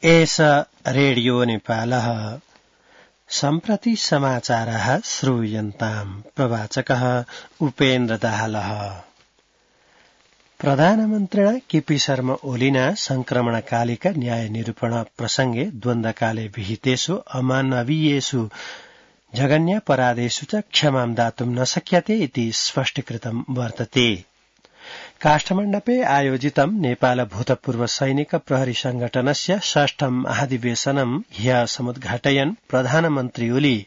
एष रेडियो नेपालः सम्प्रति समाचारः श्रूयन्ताम् प्रवाचकः उपेन्द्र दाहालः। प्रधानमन्त्रिणा केपी शर्मा ओलिना संक्रमणकालिक न्याय निरूपण प्रसंगे द्वन्द्वकाले विहितेषु अमानवीयेषु जघन्यापराधेषु च क्षमां दातुं न शक्यते इति स्पष्टीकृतं वर्तते। काष्ठमण्डपे आयोजितं नेपाल भूतपूर्व सैनिक प्रहरी संगठनस्य षष्ठं महाधिवेशनं ह्यः समुद्घाटयन् प्रधानमन्त्री ओली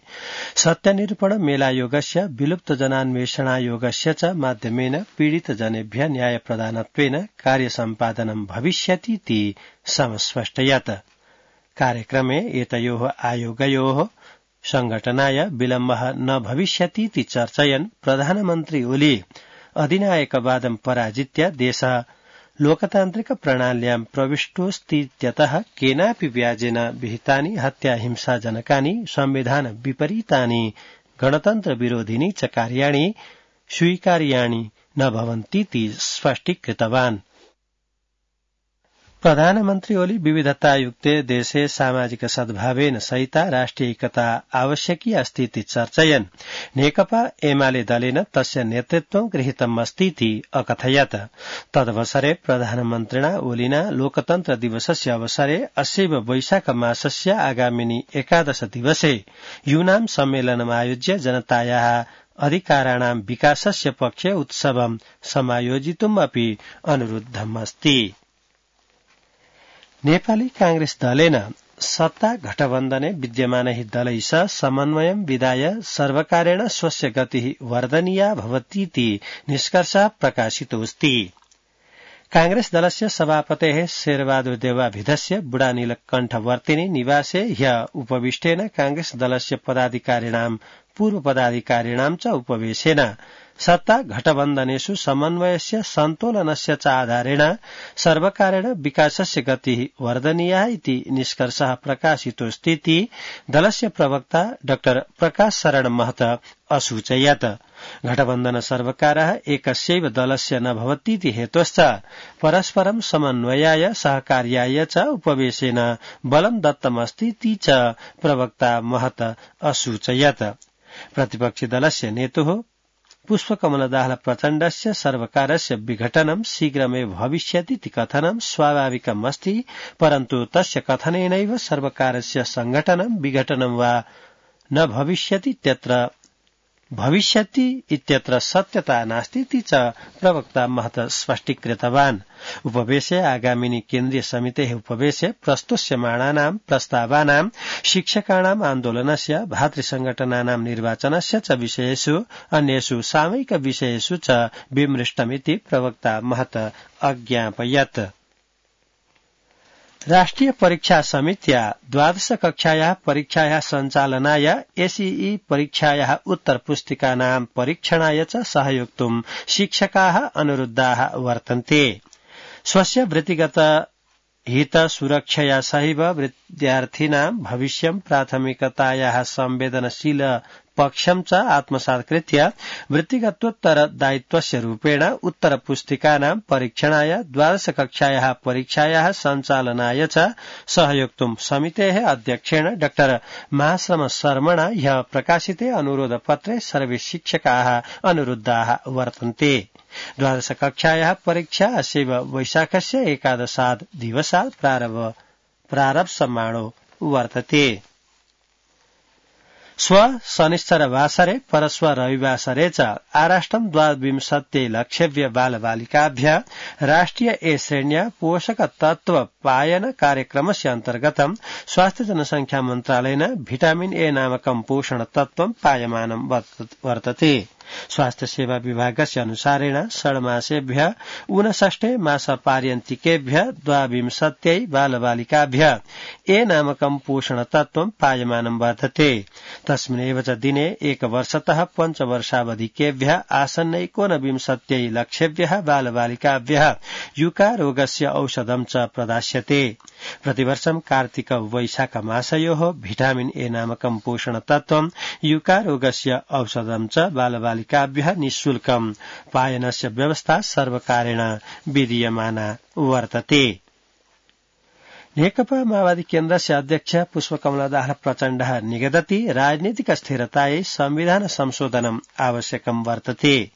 सत्यनिरूपण मेलायोगस्य विलुप्तजनान्वेषणायोगस्य च माध्यमेन पीडितजनेभ्यः न्यायप्रदानत्वेन कार्यसम्पादनं भविष्यतीति समस्पष्टयत्। कार्यक्रमे एतयोः आयोगयोः संघटनाय विलम्बः न भविष्यतीति चर्चयन् प्रधानमन्त्री ओली अधिनायकवादं पराजित्य देशः लोकतान्त्रिक प्रणाल्यां प्रविष्टोऽस्तीत्यतः केनापि व्याजेन विहितानि हत्या हिंसाजनकानि संविधान विपरीतानि गणतन्त्र विरोधिनी च कार्याणि स्वीकार्याणि न भवन्तीति स्पष्टीकृतवान्। प्रधानमन्त्री ओली विविधतायुक्ते देशे सामाजिक सद्भावेन सहिता राष्ट्रिय एकता आवश्यकी अस्तीति चर्चयन् नेकपा एमाले दलेन तस्य नेतृत्वं गृहीतम् अस्तीति अकथयत्। तदवसरे प्रधानमन्त्रिणा ओलिना लोकतन्त्र दिवसस्य अवसरे अस्यैव वैशाख मासस्य आगामिनि 11 दिवसे यूनां सम्मेलनम् आयोज्य जनतायाः अधिकाराणां विकासस्य पक्षे उत्सवं समायोजितुम् अपि अनुरुद्धम् अस्ति। नेपाली कांग्रेस दलेन सत्ता गठबन्धने विद्यमानैः दलैः सह समन्वयं विधाय सर्वकारेण स्वस्य गतिः वर्धनीया भवतीति निष्कर्षः प्रकाशितोऽस्ति। कांग्रेस दलस्य सभापतेः शेरबहादुर देवाभिधस्य बुढानीलकण्ठवर्तिनी निवासे ह्यः उपविष्टेन कांग्रेस दलस्य पदाधिकारिणां पूर्व पदाधिकारिणां च उपवेशेन सत्ता घटबन्धनेषु समन्वयस्य सन्तोलनस्य च आधारेण सर्वकारेण विकासस्य गतिः वर्धनीया इति निष्कर्षः प्रकाशितोऽस्तीति दलस्य प्रवक्ता डाक्टर प्रकाश शरण महत असूचयत्। घटबन्धन सर्वकारः एकस्यैव दलस्य न भवतीति हेतोश्च परस्परं समन्वयाय सहकार्याय च उपवेशेन बलं दत्तमस्तीति च प्रवक्ता महत असूचयत्। प्रतिपक्षी दलस्य नेतुः पुष्पकमल दाहाल प्रचण्डस्य सर्वकारस्य विघटनं शीघ्रमेव भविष्यतीति कथनं स्वाभाविकमस्ति, परन्तु तस्य कथनेनैव सर्वकारस्य संघटनं विघटनं वा न भविष्यति इत्यत्र सत्यता नास्तीति च प्रवक्ता महत स्पष्टीकृतवान्। उपवेशे आगामिनि केन्द्रीय समितेः उपवेशे प्रस्तुष्यमाणानां प्रस्तावानां शिक्षकाणां आन्दोलनस्य भातृसंघटनानां निर्वाचनस्य च विषयेषु अन्येषु सामयिक विषयेषु च विमृष्टमिति प्रवक्ता महत अज्ञापयत्। राष्ट्रिय परीक्षा समित्या 12 कक्षायाः परीक्षायाः सञ्चालनाय एसईई परीक्षायाः उत्तरपुस्तिकानां परीक्षणाय च सहयोक्तुं शिक्षकाः अनुरुद्धाः वर्तन्ते। स्वस्य वृत्तिगत हित सुरक्षया सहैव विद्यार्थिनां भविष्यं प्राथमिकतायाः संवेदनशील पक्षं च आत्मसात् कृत्य वृत्तिगतोत्तर दायित्वस्य रूपेण उत्तरपुस्तिकानां परीक्षणाय 12 कक्षायाः परीक्षायाः सञ्चालनाय च सहयोक्तुं समितेः अध्यक्षेण डाक्टर महाश्रम शर्मणा ह्यः प्रकाशिते अनुरोधपत्रे सर्वे शिक्षकाः अनुरुद्धाः वर्तन्ते। 12 कक्षायाः परीक्षा अस्यैव वैशाखस्य 11 दिवसात् प्रारप्स्यमाणो वर्तते। स्व शनिश्चरवासरे परस्व रविवासरे च आराष्ट्रं 12 लक्षेभ्यः बालबालिकाभ्यः राष्ट्रिय ए श्रेण्या पोषक तत्व पायन कार्यक्रमस्य अन्तर्गतं स्वास्थ्य जनसंख्या मन्त्रालयेन विटामिन ए नामकं पोषण तत्त्वं पायमानं वर्तते। स्वास्थ्य सेवा विभागस्य अनुसारेण षड्मासेभ्यः 59 मासपर्यन्तिकेभ्यः 12 बालबालिकाभ्यः ए नामकं पोषण तत्त्वं पायमानं वर्तते। तस्मिन्नेव च दिने 1 वर्षतः 5 वर्षावधिकेभ्यः आसन्न 29 लक्षेभ्यः बालबालिकाभ्यः युका रोगस्य औषधं च प्रदास्यते। प्रतिवर्षं कार्तिक वैशाख मासयोः विटामिन ए नामकं पोषण तत्त्वं युका रोगस्य औषधं च बालबालिकाभ्यः निःशुल्कं पायनस्य व्यवस्था सर्वकारेण विधीयमाना वर्तते। नेकपा माओवादी केन्द्रस्य अध्यक्ष पुष्पकमला दाहाल प्रचण्डः निगदति राजनीतिक स्थिरतायै संविधान संशोधनम् आवश्यकम् वर्तते।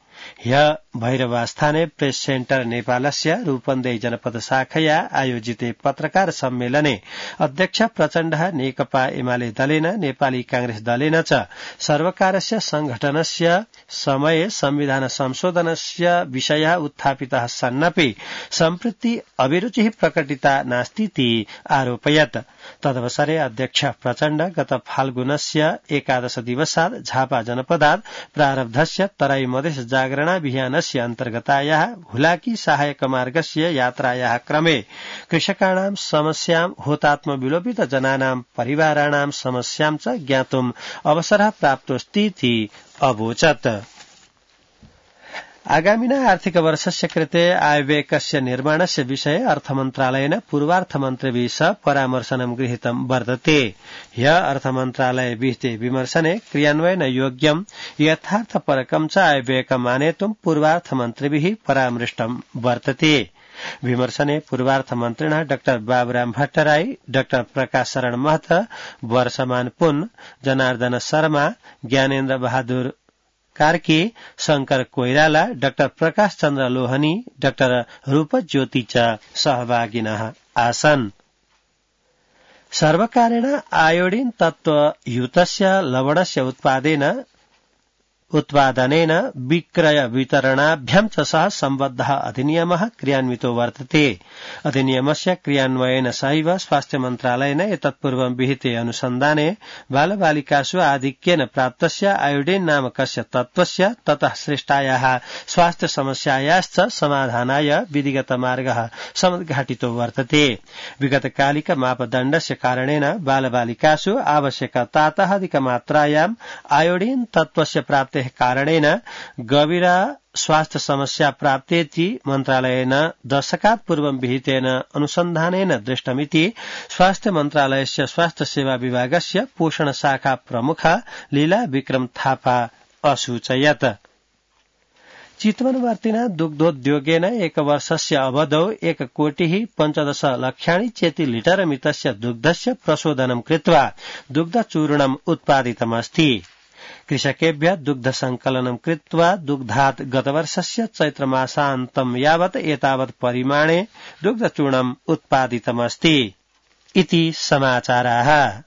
ह्य भैरवास्थाने प्रेस सेन्टर नेपालस्य रूपन्देही जनपद शाखया आयोजिते पत्रकार सम्मेलने अध्यक्ष प्रचण्डः नेकपा एमाले दलेन नेपाली कांग्रेस दलेन च सर्वकारस्य संघटनस्य समये संविधान संशोधनस्य विषयः उत्थापितः सन्नपि सम्प्रति अभिरुचिः प्रकटिता नास्तीति आरोपयत्। तदवसरे अध्यक्ष प्रचण्ड गत फाल्गुनस्य 11 दिवसात् झापा जनपदात् प्रारब्धस्य तराई मधेस जागरणाभियानस्य अन्तर्गतायाः हुलाकी सहायक मार्गस्य यात्रायाः क्रमे कृषकाणां समस्यां होतात्मविलोपित जनानां परिवाराणां समस्यां च ज्ञातुम् अवसरः प्राप्तोऽस्तीति अवोचत्। आगामिना आर्थिक वर्षस्य कृते आयव्ययकस्य निर्माणस्य विषये अर्थमन्त्रालयेन पूर्वार्थमन्त्रिभिः सह परामर्शनं गृहीतं वर्तते। ह्य अर्थमन्त्रालय विहिते विमर्शने क्रियान्वयन योग्यं यथार्थपरकं च आयव्ययकम् आनेतुं पूर्वार्थमन्त्रिभिः परामृष्टं वर्तते। विमर्शने पूर्वार्थमन्त्रिणः डाक्टर बाबुराम भट्टराई, डाक्टर प्रकाश शरण महत, वर्षमान पुन, जनार्दन शर्मा, ज्ञानेन्द्र बहादुर कार्की, शंकर कोइराला, डाक्टर प्रकाश चन्द्र लोहनी, डाक्टर रूप ज्योति च सहभागिनः आसन्। सर्वकारेण आयोडीन तत्त्वयुतस्य लवणस्य उत्पादनेन विक्रय वितरणाभ्यां च सह सम्बद्धः अधिनियमः क्रियान्वितो वर्तते। अधिनियमस्य क्रियान्वयेन सहैव स्वास्थ्य मन्त्रालयेन एतत्पूर्वं विहिते अनुसन्धाने बालबालिकासु आधिक्येन प्राप्तस्य आयोडीन नामकस्य तत्त्वस्य ततः सृष्टायाः स्वास्थ्य समस्यायाश्च समाधानाय विधिगत मार्गः समुद्घाटितो वर्तते। विगतकालिक मापदण्डस्य कारणेन बालबालिकासु आवश्यकतातः अधिकमात्रायां आयोडीन तत्त्वस्य प्राप्तेः कारणेन गभीरा स्वास्थ्य समस्या प्राप्तेति मन्त्रालयेन दशकात् पूर्वं विहितेन अनुसन्धानेन दृष्टमिति स्वास्थ्य मन्त्रालयस्य स्वास्थ्य सेवा विभागस्य पोषण शाखा प्रमुखा लीला विक्रम थापा असूचयत्। चितवनवर्तिना दुग्धोद्योगेन एकवर्षस्य अवधौ 1,15,00,000 चेतिलिटरमितस्य दुग्धस्य प्रशोधनं कृत्वा दुग्धचूर्णम् उत्पादितमस्ति। कृषकेभ्यः दुग्ध संकलनं कृत्वा दुग्धात् गतवर्षस्य चैत्रमासान्तं यावत् एतावत् परिमाणे दुग्धचूर्णम् उत्पादितमस्ति इति समाचाराः।